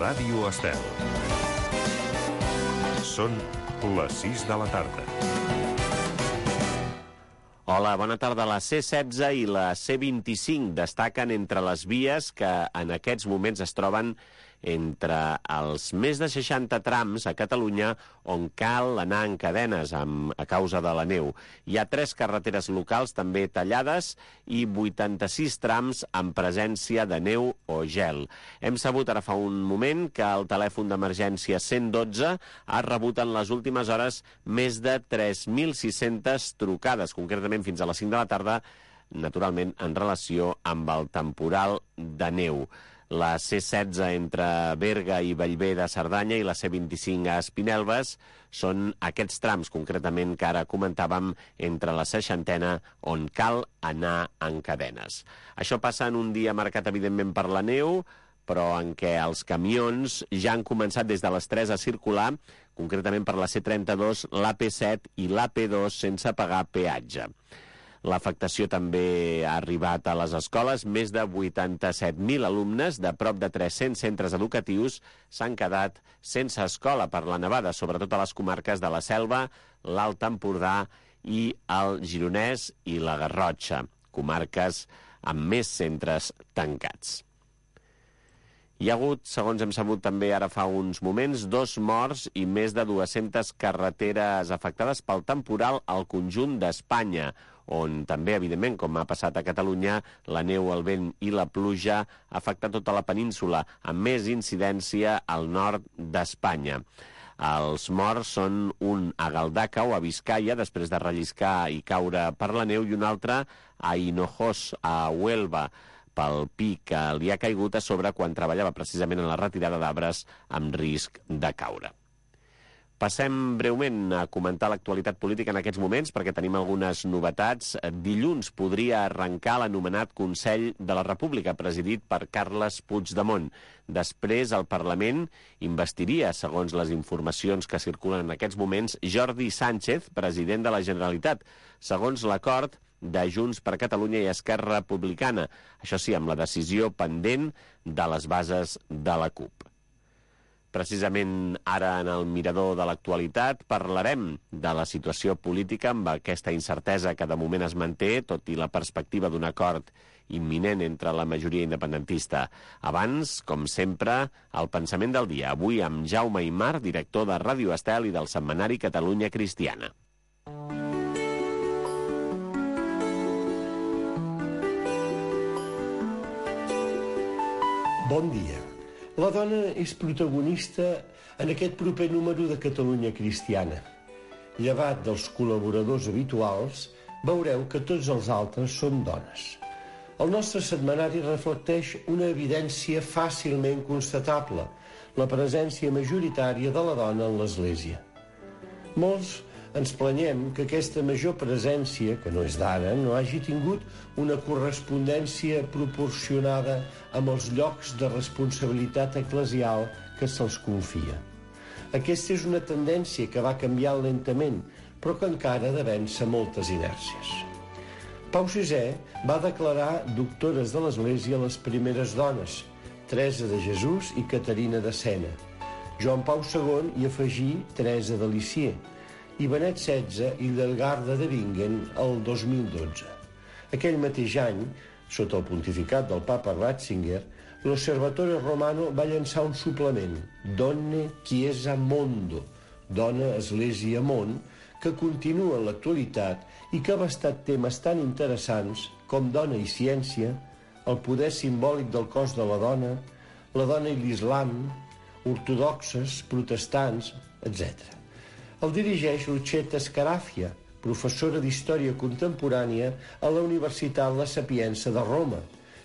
Ràdio Estel. Són les 6 de la tarda. Hola, bona tarda. La C-16 i la C-25 destaquen entre les vies que en aquests moments es troben entre els més de 60 trams a Catalunya on cal anar en cadenes a causa de la neu. Hi ha 3 carreteres locals també tallades i 86 trams amb presència de neu o gel. Hem sabut ara fa un moment que el telèfon d'emergència 112 ha rebut en les últimes hores més de 3.600 trucades, concretament fins a les 5 de la tarda, naturalment en relació amb el temporal de neu. La C-16 entre Berga i Bellver de Cerdanya i la C-25 a Espinelves són aquests trams, concretament, que ara comentàvem, entre la 60a, on cal anar en cadenes. Això passa en un dia marcat, evidentment, per la neu, però en què els camions ja han començat des de les 3 a circular, concretament per la C-32, l'AP7 i l'AP2 sense pagar peatge. L'afectació també ha arribat a les escoles. Més de 87.000 alumnes de prop de 300 centres educatius s'han quedat sense escola per la nevada, sobretot a les comarques de la Selva, l'Alt Empordà i el Gironès i la Garrotxa, comarques amb més centres tancats. Hi ha hagut, segons hem sabut també ara fa uns moments, 2 morts i més de 200 carreteres afectades pel temporal al conjunt d'Espanya, on també, evidentment, com ha passat a Catalunya, la neu, el vent i la pluja ha afectat tota la península, amb més incidència al nord d'Espanya. Els morts són un a Galdacao, a Vizcaya, després de relliscar i caure per la neu, i un altre a Hinojós, a Huelva, pel pi que li ha caigut a sobre quan treballava precisament en la retirada d'arbres amb risc de caure. Passem breument a comentar l'actualitat política en aquests moments perquè tenim algunes novetats. Dilluns podria arrencar l'anomenat Consell de la República, presidit per Carles Puigdemont. Després, el Parlament investiria, segons les informacions que circulen en aquests moments, Jordi Sánchez, president de la Generalitat, segons l'acord de Junts per Catalunya i Esquerra Republicana. Això sí, amb la decisió pendent de les bases de la CUP. Precisament ara, en el mirador de l'actualitat, parlarem de la situació política amb aquesta incertesa que de moment es manté, tot i la perspectiva d'un acord imminent entre la majoria independentista. Abans, com sempre, el pensament del dia. Avui amb Jaume Aymar, director de Ràdio Estel i del setmanari Catalunya Cristiana. Bon dia. La dona és protagonista en aquest proper número de Catalunya Cristiana. Llevat dels col·laboradors habituals, veureu que tots els altres són dones. El nostre setmanari reflecteix una evidència fàcilment constatable, la presència majoritària de la dona en l'Església. Molts ens planyem que aquesta major presència, que no és d'ara, no hagi tingut una correspondència proporcionada amb els llocs de responsabilitat eclesial que se'ls confia. Aquesta és una tendència que va canviant lentament, però que encara ha de vèncer moltes inèrcies. Pau VI va declarar doctores de l'Església les primeres dones, Teresa de Jesús i Caterina de Sena. Joan Pau II hi afegí Teresa de Lisieux, i Benet XVI i Hildegarda de Bingen el 2012. Aquell mateix any, sota el pontificat del papa Ratzinger, l'Osservatore Romano va llançar un suplement, Donne Chiesa Mondo, Dona, Església, Món, que continua en l'actualitat i que ha abastat temes tan interessants com dona i ciència, el poder simbòlic del cos de la dona i l'islam, ortodoxes, protestants, etc. El dirigeix Lucetta Scarafia, professora d'Història Contemporània a la Universitat La Sapienza de Roma,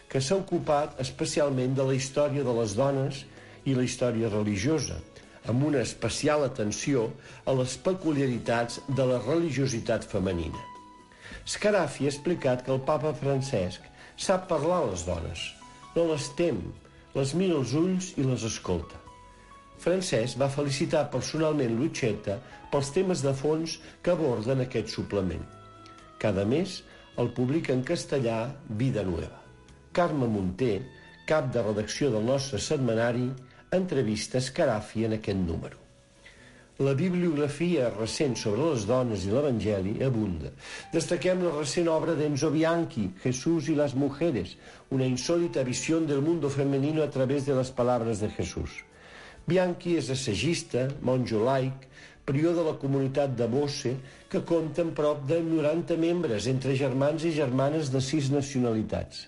que s'ha ocupat especialment de la història de les dones i la història religiosa, amb una especial atenció a les peculiaritats de la religiositat femenina. Scarafia ha explicat que el papa Francesc sap parlar a les dones, no les tem, les mira als ulls i les escolta. Francesc va felicitar personalment Lucetta pels temes de fons que aborden aquest suplement. Cada mes el publica en castellà Vida Nueva. Carme Munter, cap de redacció del nostre setmanari, entrevista Scarafi en aquest número. La bibliografia recent sobre les dones i l'Evangeli abunda. Destaquem la recent obra d'Enzo Bianchi, Jesús y las mujeres, una insólita visión del mundo femenino a través de las palabras de Jesús. Bianchi és assagista, monjo laic, prior de la comunitat de Bosse, que compta amb prop de 90 membres, entre germans i germanes de 6 nacionalitats.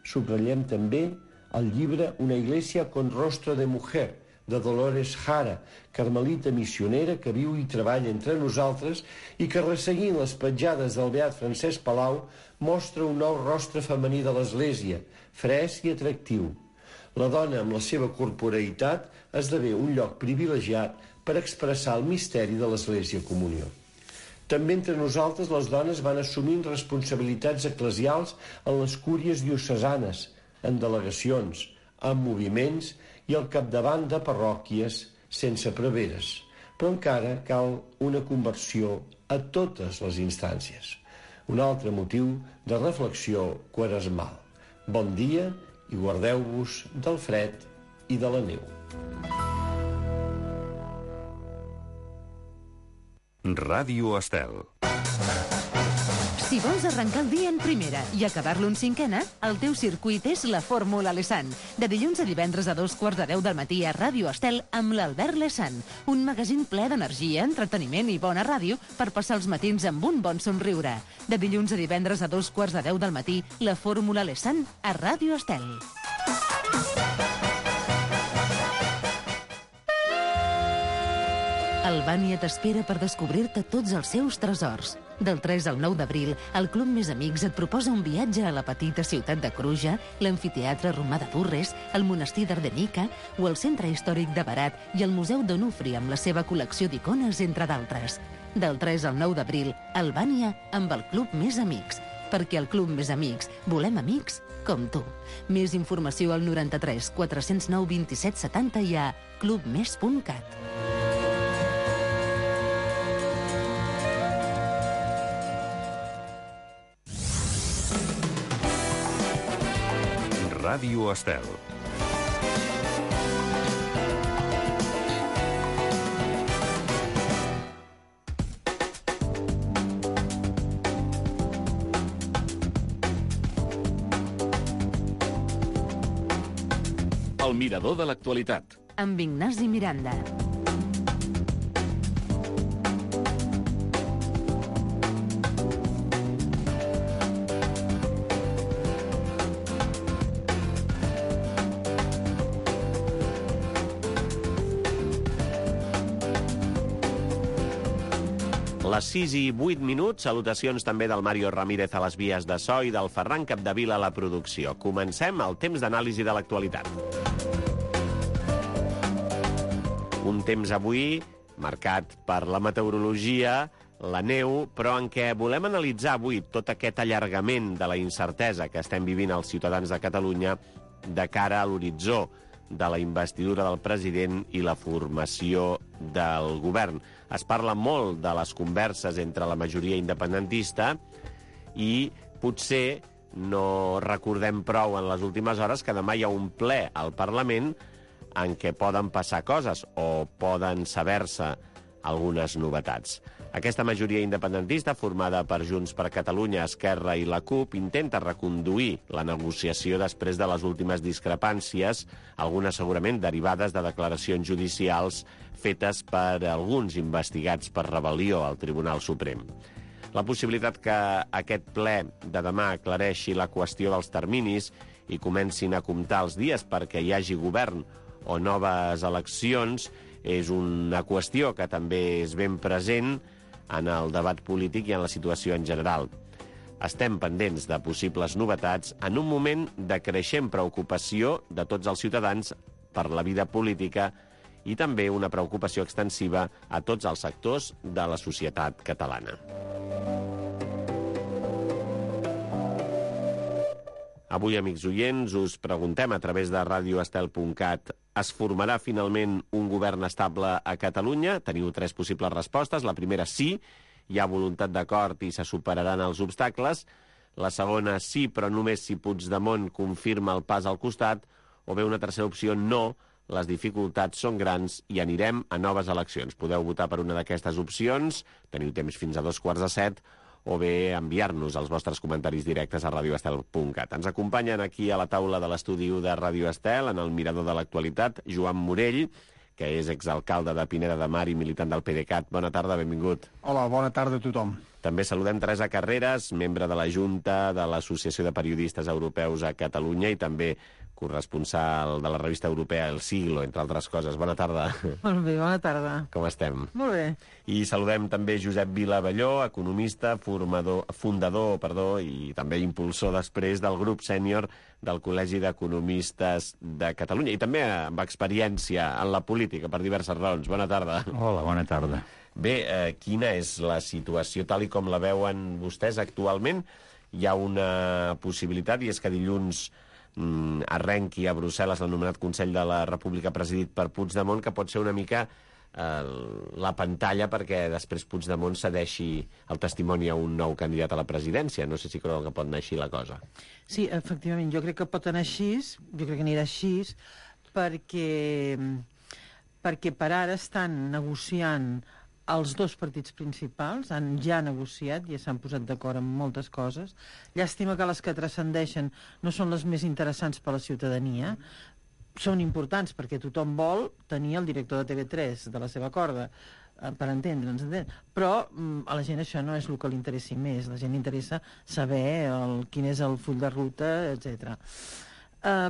Subratllem també el llibre Una iglesia con rostro de mujer, de Dolores Jara, carmelita missionera que viu i treballa entre nosaltres i que, resseguint les petjades del beat Francesc Palau, mostra un nou rostre femení de l'Església, fresc i atractiu. La dona, amb la seva corporeïtat, esdevé un lloc privilegiat per expressar el misteri de l'Església Comunió. També entre nosaltres les dones van assumint responsabilitats eclesials en les cúries diocesanes, en delegacions, en moviments i al capdavant de parròquies sense preveres. Però encara cal una conversió a totes les instàncies. Un altre motiu de reflexió quaresmal. Bon dia i guardeu-vos del fred i de la neu. Ràdio Estel. Si vols arrencar el dia en primera i acabar-lo en cinquena, el teu circuit és la Fórmula Lesan. De dilluns a divendres a 2:15 del matí a Ràdio Estel amb l'Albert Lesan. Un magazín ple d'energia, entreteniment i bona ràdio per passar els matins amb un bon somriure. De dilluns a divendres a 2:15 del matí, la Fórmula Lesan a Ràdio Estel. Albània t'espera per descobrir-te tots els seus tresors. Del 3 al 9 d'abril, el Club Més Amics et proposa un viatge a la petita ciutat de Cruja, l'amfiteatre romà de Durres, el monestir d'Ardenica o el centre històric de Berat i el Museu d'Onufri amb la seva col·lecció d'icones, entre d'altres. Del 3 al 9 d'abril, Albània amb el Club Més Amics. Perquè al Club Més Amics volem amics com tu. Més informació al 93 409 27 70 i a clubmes.cat. Ràdio Estel. El mirador de l'actualitat. Amb Ignasi Miranda. Les 6 i 8 minuts, salutacions també del Mario Ramírez a les vies de so i del Ferran Capdevila a la producció. Comencem el temps d'anàlisi de l'actualitat. Un temps avui marcat per la meteorologia, la neu, però en què volem analitzar avui tot aquest allargament de la incertesa que estem vivint els ciutadans de Catalunya de cara a l'horitzó de la investidura del president i la formació del govern. Es parla molt de les converses entre la majoria independentista i potser no recordem prou en les últimes hores que demà hi ha un ple al Parlament en què poden passar coses o poden saber-se algunes novetats. Aquesta majoria independentista, formada per Junts per Catalunya, Esquerra i la CUP, intenta reconduir la negociació després de les últimes discrepàncies, algunes segurament derivades de declaracions judicials fetes per alguns investigats per rebel·lió al Tribunal Suprem. La possibilitat que aquest ple de demà aclareixi la qüestió dels terminis i comencin a comptar els dies perquè hi hagi govern o noves eleccions és una qüestió que també és ben present en el debat polític i en la situació en general. Estem pendents de possibles novetats en un moment de creixent preocupació de tots els ciutadans per la vida política i també una preocupació extensiva a tots els sectors de la societat catalana. Avui, amics oients, us preguntem a través de radioestel.cat: es formarà finalment un govern estable a Catalunya? Teniu 3 possibles respostes. La primera, sí, hi ha voluntat d'acord i se superaran els obstacles. La segona, sí, però només si Puigdemont confirma el pas al costat. O bé una tercera opció, no, les dificultats són grans i anirem a noves eleccions. Podeu votar per una d'aquestes opcions, teniu temps fins a 6:45, o bé enviar-nos els vostres comentaris directes a radioestel.cat. Ens acompanyen aquí a la taula de l'estudi de Ràdio Estel, en el mirador de l'actualitat, Joan Morell, que és exalcalde de Pineda de Mar i militant del PDeCAT. Bona tarda, benvingut. Hola, bona tarda a tothom. També saludem Teresa Carreras, membre de la Junta de l'Associació de Periodistes Europeus a Catalunya i també corresponsal de la revista europea El Siglo, entre altres coses. Bona tarda. Molt bé, bona tarda. Com estem? Molt bé. I saludem també Josep Vila-Belló, economista, fundador i també impulsor després del grup sènior del Col·legi d'Economistes de Catalunya i també amb experiència en la política per diverses raons. Bona tarda. Hola, bona tarda. Bé, quina és la situació tal i com la veuen vostès actualment? Hi ha una possibilitat i és que dilluns arrenqui a Brussel·les l'anomenat Consell de la República presidit per Puigdemont, que pot ser una mica la pantalla perquè després Puigdemont cedeixi el testimoni a un nou candidat a la presidència. No sé si creu que pot anar així la cosa. Sí, efectivament, jo crec que pot anar així, jo crec que anirà així, perquè per ara estan negociant els dos partits principals, ja han negociat, ja s'han posat d'acord en moltes coses. Llàstima que les que transcendeixen no són les més interessants per a la ciutadania. Són importants perquè tothom vol tenir el director de TV3 de la seva corda, per entendre'ns, però a la gent això no és el que li interessi més. La gent li interessa saber quin és el full de ruta, etc.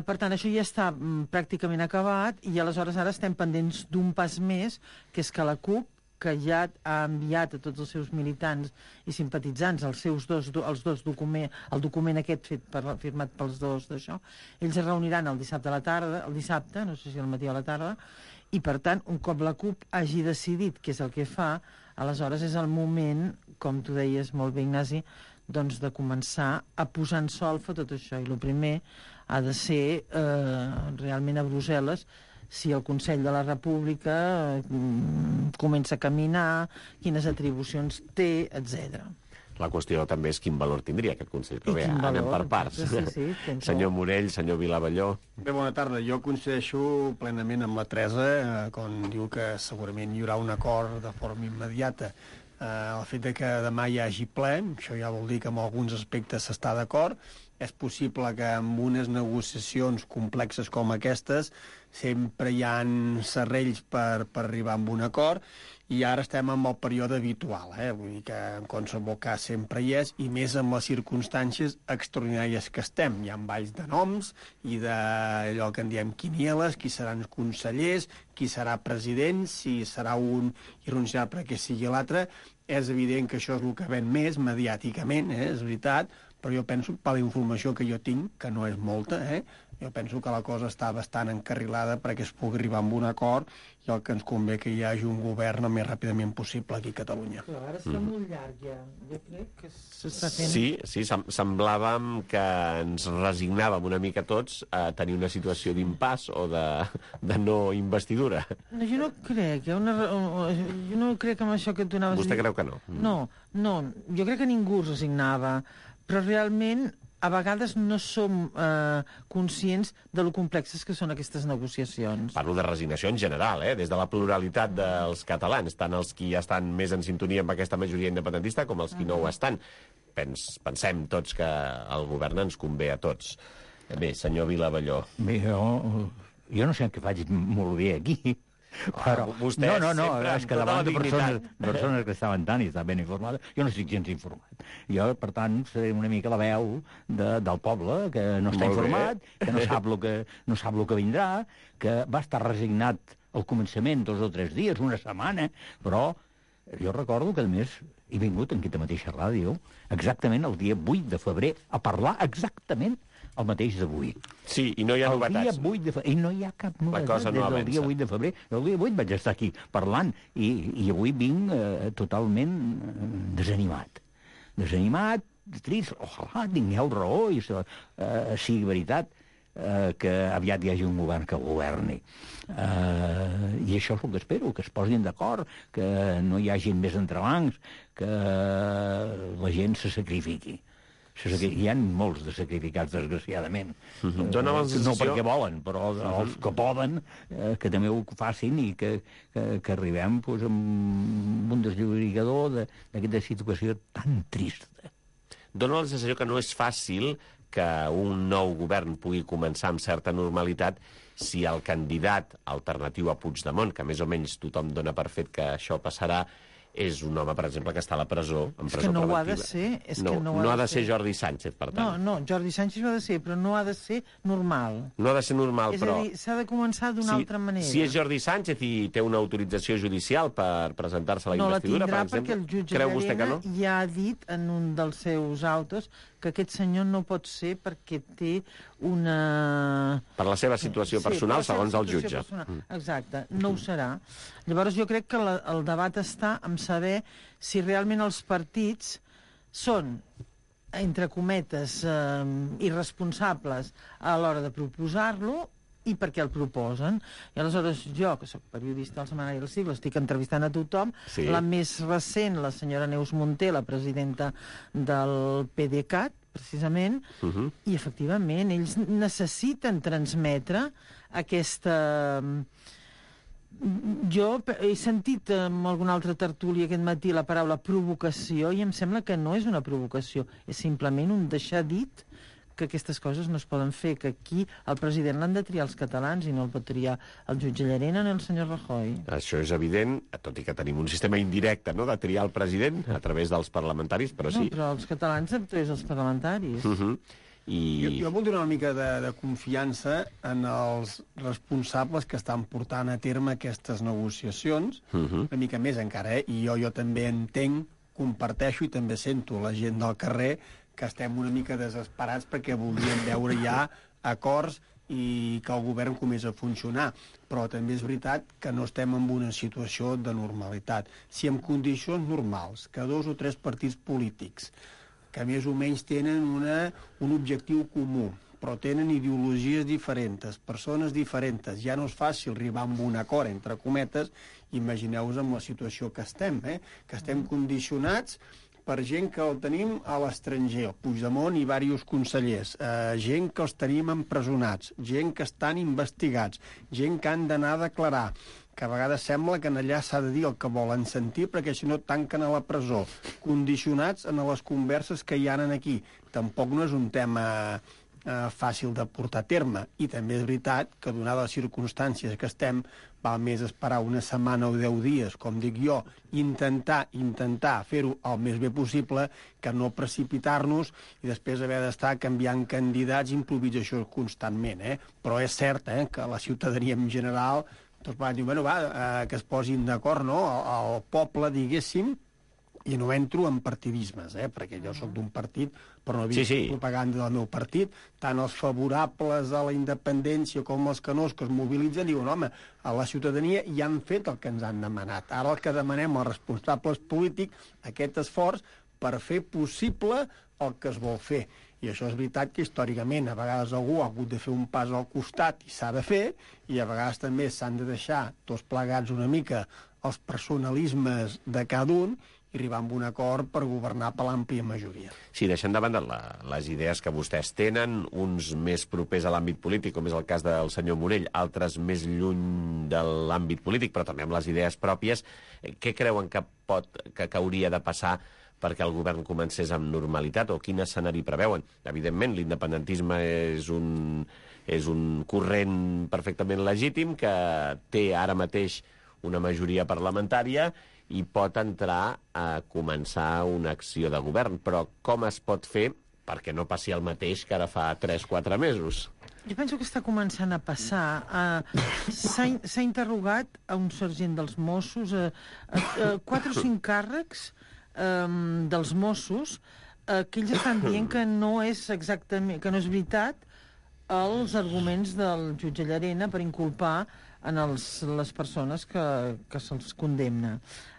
Per tant, això ja està pràcticament acabat i aleshores ara estem pendents d'un pas més, que és que la CUP, que ja ha enviat a tots els seus militants i simpatitzants el document aquest firmat pels dos d'això, ells es reuniran el dissabte a la tarda, no sé si al matí o a la tarda, i per tant, un cop la CUP hagi decidit què és el que fa, aleshores és el moment, com tu deies molt bé, Ignasi, doncs de començar a posar en solfa tot això. I el primer ha de ser realment a Brussel·les, si el Consell de la República comença a caminar, quines atribucions té, etc. La qüestió també és quin valor tindria aquest Consell, però bé, anem per parts. Sí, senyor Morell, senyor Vila-Belló. Bé, bona tarda. Jo coincideixo plenament amb la Teresa, quan diu que segurament hi haurà un acord de forma immediata. El fet que demà hi hagi ple, això ja vol dir que en alguns aspectes s'està d'acord. És possible que amb unes negociacions complexes com aquestes sempre hi ha serrells per arribar a un acord i ara estem en el període habitual, vull dir que en qualsevol cas sempre hi és, i més amb les circumstàncies extraordinàries que estem. Hi ha balls de noms i d'allò que en diem quinieles, qui seran consellers, qui serà president, si serà un irrenunciable perquè sigui l'altre. És evident que això és el que ven més mediàticament, és veritat, però jo penso, per la informació que jo tinc, que no és molta, jo penso que la cosa està bastant encarrilada perquè es pugui arribar a un acord i el que ens convé que hi hagi un govern el més ràpidament possible aquí a Catalunya. Però ara està molt llarg ja. Jo crec que s'està fent... Sí, semblàvem que ens resignàvem una mica tots a tenir una situació d'impàs o de no investidura. No, jo no crec. Jo no crec amb això que tu anaves a dir. Vostè creu que no? No. Jo crec que ningú es resignava. Però realment a vegades no som conscients de lo complexes que són aquestes negociacions. Parlo de resignació en general, des de la pluralitat dels catalans, tant els qui estan més en sintonia amb aquesta majoria independentista com els qui no ho estan. Pensem tots que el govern ens convé a tots. Bé, senyor Vila-Belló. Bé, jo no sé què faig molt bé aquí, però... Vostè no, és que davant de persones que estaven tan i estaven ben informades, jo no estic gens informat. Jo, per tant, seré una mica la veu del poble, que no està informat, que no sap el que vindrà, que va estar resignat al començament 2 o 3 dies, una setmana, però jo recordo que, a més, he vingut en aquesta mateixa ràdio exactament el dia 8 de febrer a parlar exactament el mateix d'avui. Sí, i no hi ha novetats. El dia 8 de febrer, i no hi ha cap novetat des del dia 8 de febrer. El dia 8 vaig estar aquí parlant, i avui vinc totalment desanimat. Desanimat, trist, ojalà tingueu raó, i sigui veritat que aviat hi hagi un govern que governi. I això és el que espero, que es posin d'acord, que no hi hagi més entrebancs, que la gent se sacrifiqui. Hi ha molts de sacrificats, desgraciadament. Dóna la sensació... No perquè volen, però els que poden, que també ho facin i que arribem amb un desllorigador d'aquesta situació tan trista. Dóna la sensació que no és fàcil que un nou govern pugui començar amb certa normalitat si el candidat alternatiu a Puigdemont, que més o menys tothom dona per fet que això passarà, és un home, per exemple, que està a la presó, en presó preventiva. És que no ho ha de ser. No ha de ser Jordi Sánchez, per tant. No, Jordi Sánchez ho ha de ser, però no ha de ser normal. No ha de ser normal, però... És a dir, s'ha de començar d'una altra manera. Si és Jordi Sánchez i té una autorització judicial per presentar-se a la investidura, per exemple... No la tindrà perquè el jutge Llarena ja ha dit en un dels seus autos que aquest senyor no pot ser perquè té una... Per la seva situació personal, segons el jutge. Exacte, no ho serà. Llavors jo crec que el debat està en saber si realment els partits són, entre cometes, irresponsables a l'hora de proposar-lo i per què el proposen. I aleshores jo, que sóc periodista del Setmanari del Segle, estic entrevistant a tothom, la més recent, la senyora Neus Munté, la presidenta del PDeCAT, precisament, i efectivament ells necessiten transmetre aquesta... Jo he sentit en alguna altra tertúlia aquest matí la paraula provocació i em sembla que no és una provocació, és simplement un deixar dit que aquestes coses no es poden fer, que aquí el president l'han de triar els catalans i no el pot triar el jutge Llarena ni el senyor Rajoy. Això és evident, tot i que tenim un sistema indirecte, no?, de triar el president a través dels parlamentaris, però sí. No, però els catalans han tret els parlamentaris. Jo vull donar una mica de confiança en els responsables que estan portant a terme aquestes negociacions, una mica més encara, i jo també entenc, comparteixo i també sento la gent del carrer que estem una mica desesperats perquè voldríem veure ja acords i que el govern comença a funcionar. Però també és veritat que no estem en una situació de normalitat. Si en condicions normals, que 2 o 3 partits polítics que més o menys tenen un objectiu comú, però tenen ideologies diferents, persones diferents, ja no és fàcil arribar a un acord, entre cometes, imagineu-vos amb la situació que estem, que estem condicionats per gent que el tenim a l'estranger, el Puigdemont i diversos consellers, gent que els tenim empresonats, gent que estan investigats, gent que han d'anar a declarar, que a vegades sembla que allà s'ha de dir el que volen sentir perquè si no tanquen a la presó, condicionats en les converses que hi ha aquí. Tampoc no és un tema fàcil de portar a terme. I també és veritat que, donades les circumstàncies que estem, val més esperar una setmana o 10 dies, com dic jo, intentar fer-ho el més bé possible, que no precipitar-nos i després haver d'estar canviant candidats i improvisació constantment. Però és cert que la ciutadania en general tots van dir, bueno, que es posin d'acord, no?, el poble, diguéssim, i no entro en partidismes, perquè jo sóc d'un partit, però no he vist propaganda del meu partit, tant els favorables a la independència com els que no, que es mobilitzen, diuen, home, a la ciutadania ja han fet el que ens han demanat. Ara el que demanem als responsables polítics, aquest esforç per fer possible el que es vol fer. I això és veritat que històricament a vegades algú ha hagut de fer un pas al costat i s'ha de fer, i a vegades també s'han de deixar tots plegats una mica els personalismes de cada un i arribar a un acord per governar per l'àmplia majoria. Sí, deixant de banda les idees que vostès tenen, uns més propers a l'àmbit polític, com és el cas del senyor Morell, altres més lluny de l'àmbit polític, però també amb les idees pròpies, què creuen que hauria de passar perquè el govern comencés amb normalitat, o quin escenari preveuen? Evidentment, l'independentisme és un corrent perfectament legítim que té ara mateix una majoria parlamentària i pot entrar a començar una acció de govern. Però com es pot fer perquè no passi el mateix que ara fa 3-4 mesos? Jo penso que està començant a passar. S'ha interrogat a un sergent dels Mossos, 4 o 5 càrrecs dels Mossos, que ells estan dient que no és exactament, que no és veritat els arguments del jutge Llarena per inculpar en les persones que se'ls condemna.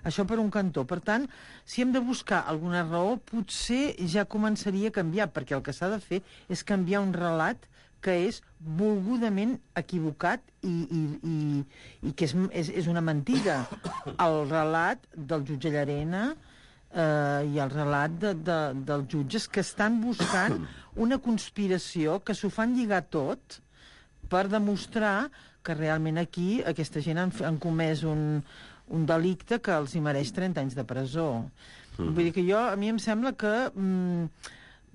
Això per un cantó. Per tant, si hem de buscar alguna raó, potser ja començaria a canviar, perquè el que s'ha de fer és canviar un relat que és volgudament equivocat i que és una mentida. El relat del jutge Llarena i el relat dels jutges que estan buscant una conspiració, que s'ho fan lligar tot per demostrar que realment aquí aquesta gent han comès un delicte que els hi mereix 30 anys de presó. Vull dir que a mi em sembla que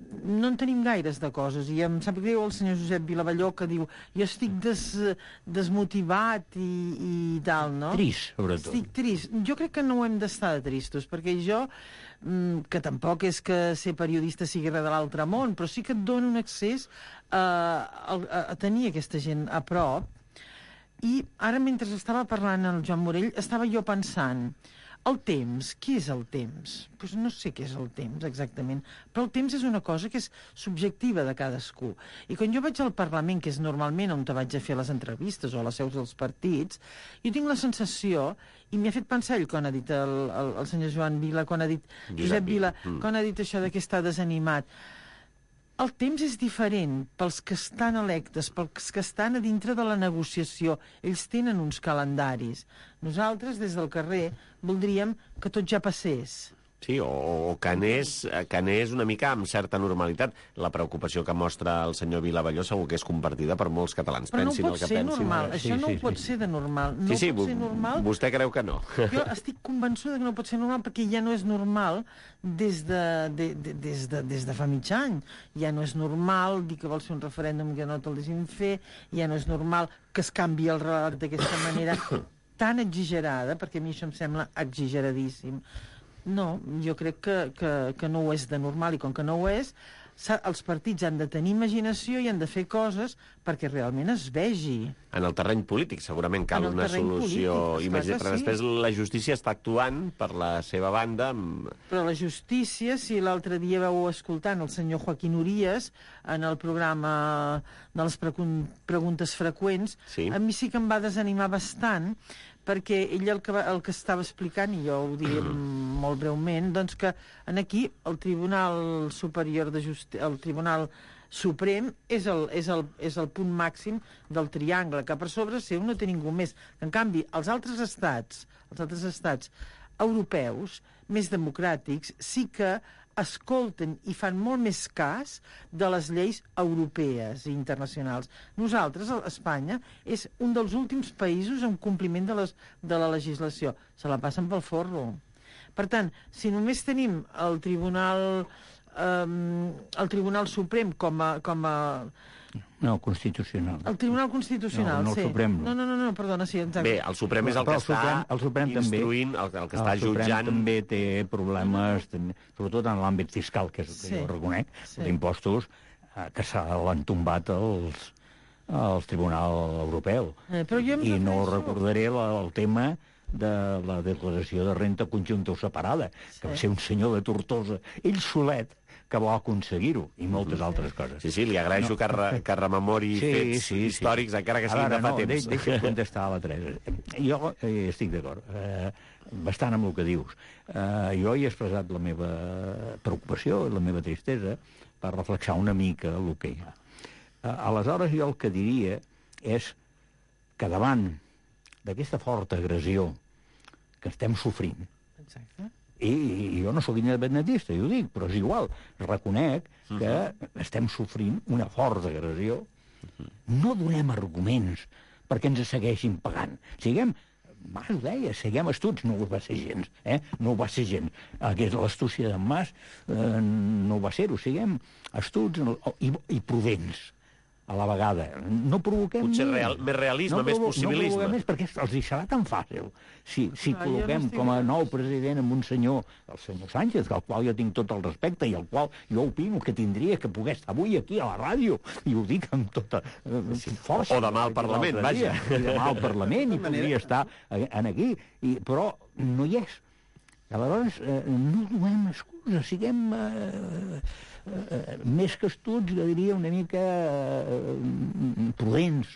no en tenim gaires de coses, i em sap greu el senyor Josep Vilavalló, que diu jo estic desmotivat i tal, no? Trist, sobretot. Estic trist. Jo crec que no ho hem d'estar de tristos, perquè jo, que tampoc és que ser periodista sigui res de l'altre món, però sí que et dona un accés a tenir aquesta gent a prop. I ara, mentre estava parlant el Joan Morell, estava jo pensant, el temps, què és el temps? Pues no sé què és el temps, exactament. Però el temps és una cosa que és subjectiva de cadascú. I quan jo vaig al Parlament, que és normalment on te vaig a fer les entrevistes o a les seus dels partits, jo tinc la sensació, i m'hi ha fet pensar ell quan ha dit el senyor Joan Vila, quan ha dit Josep Vila, quan ha dit això de que està desanimat. El temps és diferent pels que estan electes, pels que estan a dintre de la negociació. Ells tenen uns calendaris. Nosaltres, des del carrer, voldríem que tot ja passés. Sí, o que anés una mica amb certa normalitat. La preocupació que mostra el senyor Vilavalló segur que és compartida per molts catalans. Però no pot ser normal. Això no pot ser de normal. No pot ser normal. Vostè creu que no? Jo estic convençuda que no pot ser normal perquè ja no és normal des de fa mig any. Ja no és normal dir que vols fer un referèndum que no te'l deixin fer, ja no és normal que es canvi el relat d'aquesta manera tan exagerada, perquè a mi això em sembla exageradíssim. No, jo crec que no ho és de normal, i com que no ho és, els partits han de tenir imaginació i han de fer coses perquè realment es vegi. En el terreny polític segurament cal una solució immediata, però després la justícia està actuant per la seva banda. Però la justícia, si l'altre dia vau escoltant el senyor Joaquín Urías en el programa de les preguntes freqüents, a mi sí que em va desanimar bastant, perquè ell el que estava explicant, i jo ho diré molt breument, doncs que aquí el Tribunal Superior de Justícia, el Tribunal Suprem és el punt màxim del triangle, que per sobre seu no té ningú més. En canvi, els altres estats europeus, més democràtics, sí que escolten i fan molt més cas de les lleis europees i internacionals. Nosaltres, a Espanya, és un dels últims països en compliment de la legislació. Se la passen pel forro. Per tant, si només tenim el Tribunal Suprem com a No, Constitucional. El Tribunal Constitucional, no, sí. El Suprem no. No, perdona, sí, exacte. Bé, el Suprem és el que està instruint, el que està jutjant. El Suprem també té problemes, sobretot en l'àmbit fiscal, que és el que jo reconec, d'impostos, que se l'han tombat al Tribunal Europeu. I no recordaré el tema de la declaració de renta conjunta o separada, que va ser un senyor de Tortosa, ell solet, que va aconseguir-ho, i moltes altres coses. Sí, li agraeixo que rememori fets històrics, encara que siguin de fa temps. Deixa'm contestar a la Teresa. Jo estic d'acord, bastant amb el que dius. Jo he expressat la meva preocupació, la meva tristesa, per reflexar una mica el que hi ha. Aleshores, jo el que diria és que davant d'aquesta forta agressió que estem sofrint, i jo no sóc independentista, jo ho dic, però és igual, reconec que estem sofrint una forta agressió, no donem arguments perquè ens segueixin pagant. Siguem, Mas ho deia, siguem astuts, no ho va ser gens, no ho va ser gens. L'astúcia d'en Mas no ho va ser-ho, siguem astuts i prudents a la vegada. No provoquem potser més realisme, més possibilisme. No provoquem més, perquè els hi serà tan fàcil. Si col·loquem com a nou president amb un senyor, el senyor Sánchez, al qual jo tinc tot el respecte i al qual jo opino que tindria que poder estar avui aquí a la ràdio, i ho dic amb tota força. O demà al Parlament, vaja. Demà al Parlament, i podria estar aquí, però no hi és. Aleshores, no donem excusa, siguem més que astuts, jo diria una mica prudents.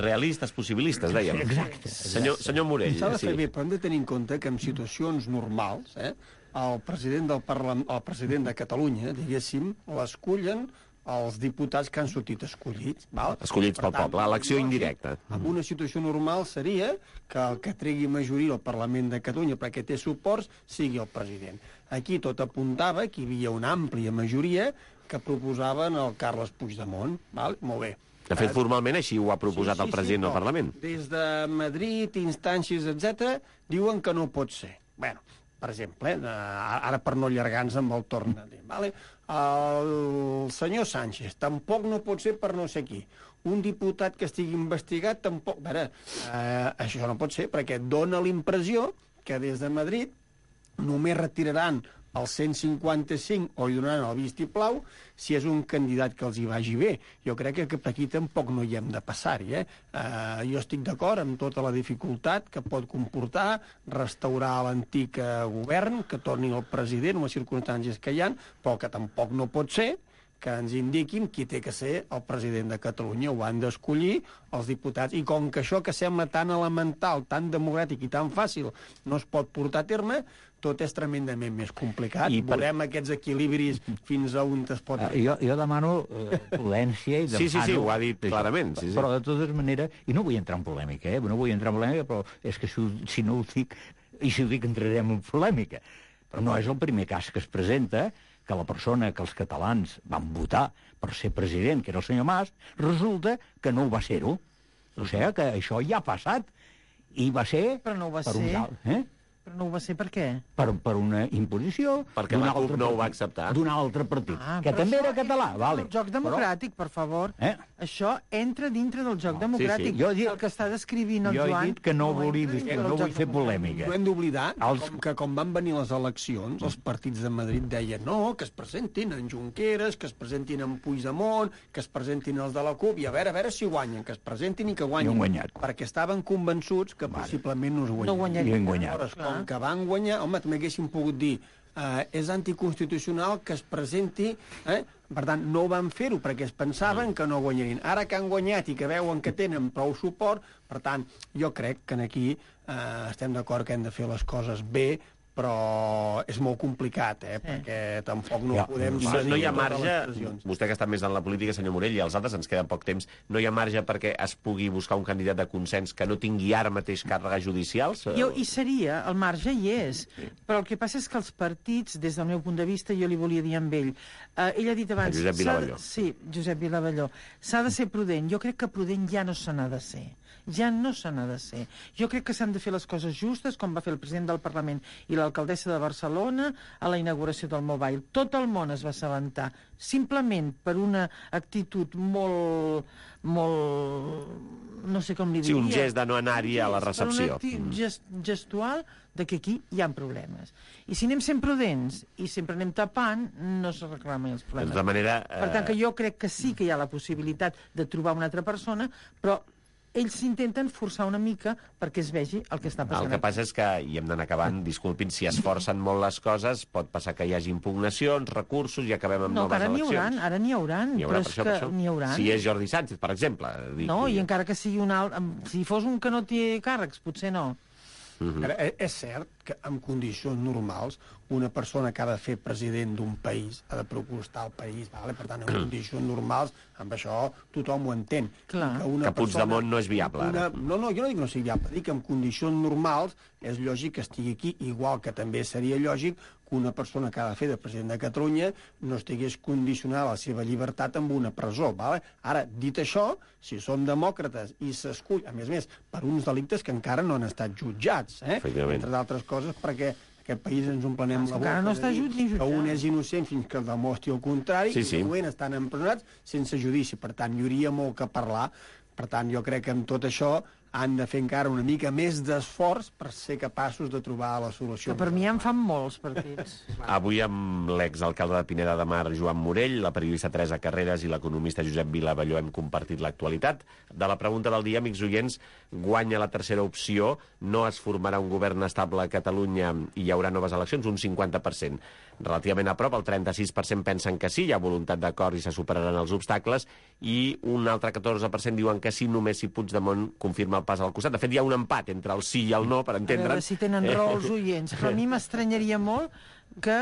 Realistes, possibilistes, dèiem. Exacte. Senyor Morell. S'ha de fer bé, però hem de tenir en compte que en situacions normals, el president de Catalunya, diguéssim, l'escullen els diputats que han sortit escollits. Val? Escollits pel poble, elecció indirecta. En una situació normal seria que el que tregui majoria al Parlament de Catalunya perquè té suports sigui el president. Aquí tot apuntava que hi havia una àmplia majoria que proposaven el Carles Puigdemont. Val? Molt bé. De fet, formalment així ho ha proposat el president del Parlament. Des de Madrid, instàncies, etc., diuen que no pot ser. Bueno, per exemple, ara per no allargar-nos amb el torn de dir, vale? El senyor Sánchez tampoc no pot ser per no sé qui. Un diputat que estigui investigat tampoc... A veure, això no pot ser perquè dona l'impressió que des de Madrid només retiraran el 155 o hi donaran el vistiplau si és un candidat que els hi vagi bé. Jo crec que per aquí tampoc no hi hem de passar-hi. Jo estic d'acord amb tota la dificultat que pot comportar restaurar l'antic govern, que torni el president en les circumstàncies que hi ha, però que tampoc no pot ser que ens indiquin qui té que ser el president de Catalunya. Ho han d'escollir els diputats. I com que això que sembla tan elemental, tan democràtic i tan fàcil no es pot portar a terme, tot és tremendament més complicat. Veurem aquests equilibris fins a on es pot... Jo demano prudència i demano... Sí, ho ha dit clarament. Sí. Però de totes maneres, i no vull entrar en polèmica, no vull entrar en polèmica, però és que si no ho dic, i si ho dic entrarem en polèmica. Però no és el primer cas que es presenta que la persona que els catalans van votar per ser president, que era el senyor Mas, resulta que no ho va ser-ho. O sigui que això ja ha passat. I va ser... Però no ho va per ser. Però no ho va ser per què? Per una imposició... Perquè la CUP no ho va acceptar. D'un altre partit, que també era català. El joc democràtic, per favor. Això entra dintre del joc democràtic. Sí. El que està descrivint el Joan... Jo he dit que no vull fer polèmica. No hem d'oblidar que com van venir les eleccions, els partits de Madrid deien no, que es presentin en Junqueras, que es presentin en Puigdemont, que es presentin els de la CUP, i a veure si guanyen, que es presentin i que guanyin. I han guanyat. Perquè estaven convençuts que possiblement no es guanyarien. No guanyarien. I han guanyat. Com que van guanyar, home, també haguessin pogut dir és anticonstitucional que es presenti, per tant, no van fer-ho perquè es pensaven que no guanyarien. Ara que han guanyat i que veuen que tenen prou suport, per tant, jo crec que aquí estem d'acord que hem de fer les coses bé, però és molt complicat, perquè tampoc no podem... No hi ha marge, vostè que està més en la política, senyor Morell, i els altres, ens queda poc temps, no hi ha marge perquè es pugui buscar un candidat de consens que no tingui ara mateix càrregues judicials? Hi seria, el marge hi és, però el que passa és que els partits, des del meu punt de vista, jo li volia dir amb ell, ell ha dit abans... Josep Vilavelló. Sí, Josep Vilavelló. S'ha de ser prudent. Jo crec que prudent ja no se n'ha de ser. Ja no se n'ha de ser. Jo crec que s'han de fer les coses justes, com va fer el president del Parlament i l'alcaldessa de Barcelona a la inauguració del Mobile. Tot el món es va assabentar, simplement per una actitud molt... no sé com li diria... Sí, un gest de no anar-hi a la recepció. Per un gestual de que aquí hi ha problemes. I si anem sent prudents i sempre anem tapant, no se reclamen els problemes. De manera... Per tant, que jo crec que sí que hi ha la possibilitat de trobar una altra persona, però ells s'intenten forçar una mica perquè es vegi el que està passant. El que passa és que, i hem d'anar acabant, disculpin, si es forcen molt les coses, pot passar que hi hagi impugnacions, recursos, i acabem amb noves eleccions. Ara n'hi hauran, però és que n'hi hauran. Si és Jordi Sánchez, per exemple. No, i encara que sigui un alt... Si fos un que no té càrrecs, potser no. És cert que en condicions normals una persona que ha de fer president d'un país ha de proposar el país, vale? Per tant, en condicions normals, amb això tothom ho entén. Que Puigdemont no és viable, ara. No, jo no dic que no sigui viable, dic que en condicions normals és lògic que estigui aquí, igual que també seria lògic que una persona que ha de fer de president de Catalunya no estigués condicionada la seva llibertat amb una presó. Vale? Ara, dit això, si són demòcrates i s'escull, a més, per uns delictes que encara no han estat jutjats, entre d'altres coses, perquè aquest país ens emplenem la boca. No està jutjat. Que un és innocent fins que demostri el contrari, i de moment estan empresonats sense judici. Per tant, hi hauria molt que parlar. Per tant, jo crec que amb tot això han de fer encara una mica més d'esforç per ser capaços de trobar la solució. Que per mi en fan molts partits. Avui amb l'exalcalde de Pineda de Mar, Joan Morell, la periodista Teresa Carreras i l'economista Josep Vilavelló hem compartit l'actualitat. De la pregunta del dia, amics oients, guanya la tercera opció, no es formarà un govern estable a Catalunya i hi haurà noves eleccions, un 50%. Relativament a prop, el 36% pensen que sí, hi ha voluntat d'acord i se superaran els obstacles, i un altre 14% diuen que sí, només si Puigdemont confirma el pas al costat. De fet, hi ha un empat entre el sí i el no, per A entendre'n. veure si tenen raó els oients, però a mi m'estranyaria molt que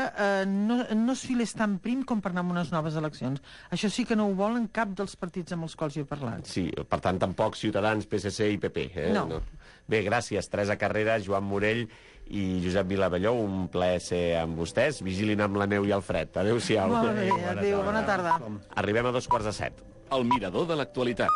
no es filés tan prim com per anar a unes noves eleccions. Això sí que no ho volen cap dels partits amb els quals jo he parlat. Sí, per tant, tampoc Ciutadans, PSC i PP. No. Bé, gràcies, Teresa Carrera, Joan Morell i Josep Vilavelló. Un plaer ser amb vostès. Vigilin amb la neu i el fred. Adéu-siau. Molt bé, adéu, bona tarda. Arribem a 2:45. El mirador de l'actualitat.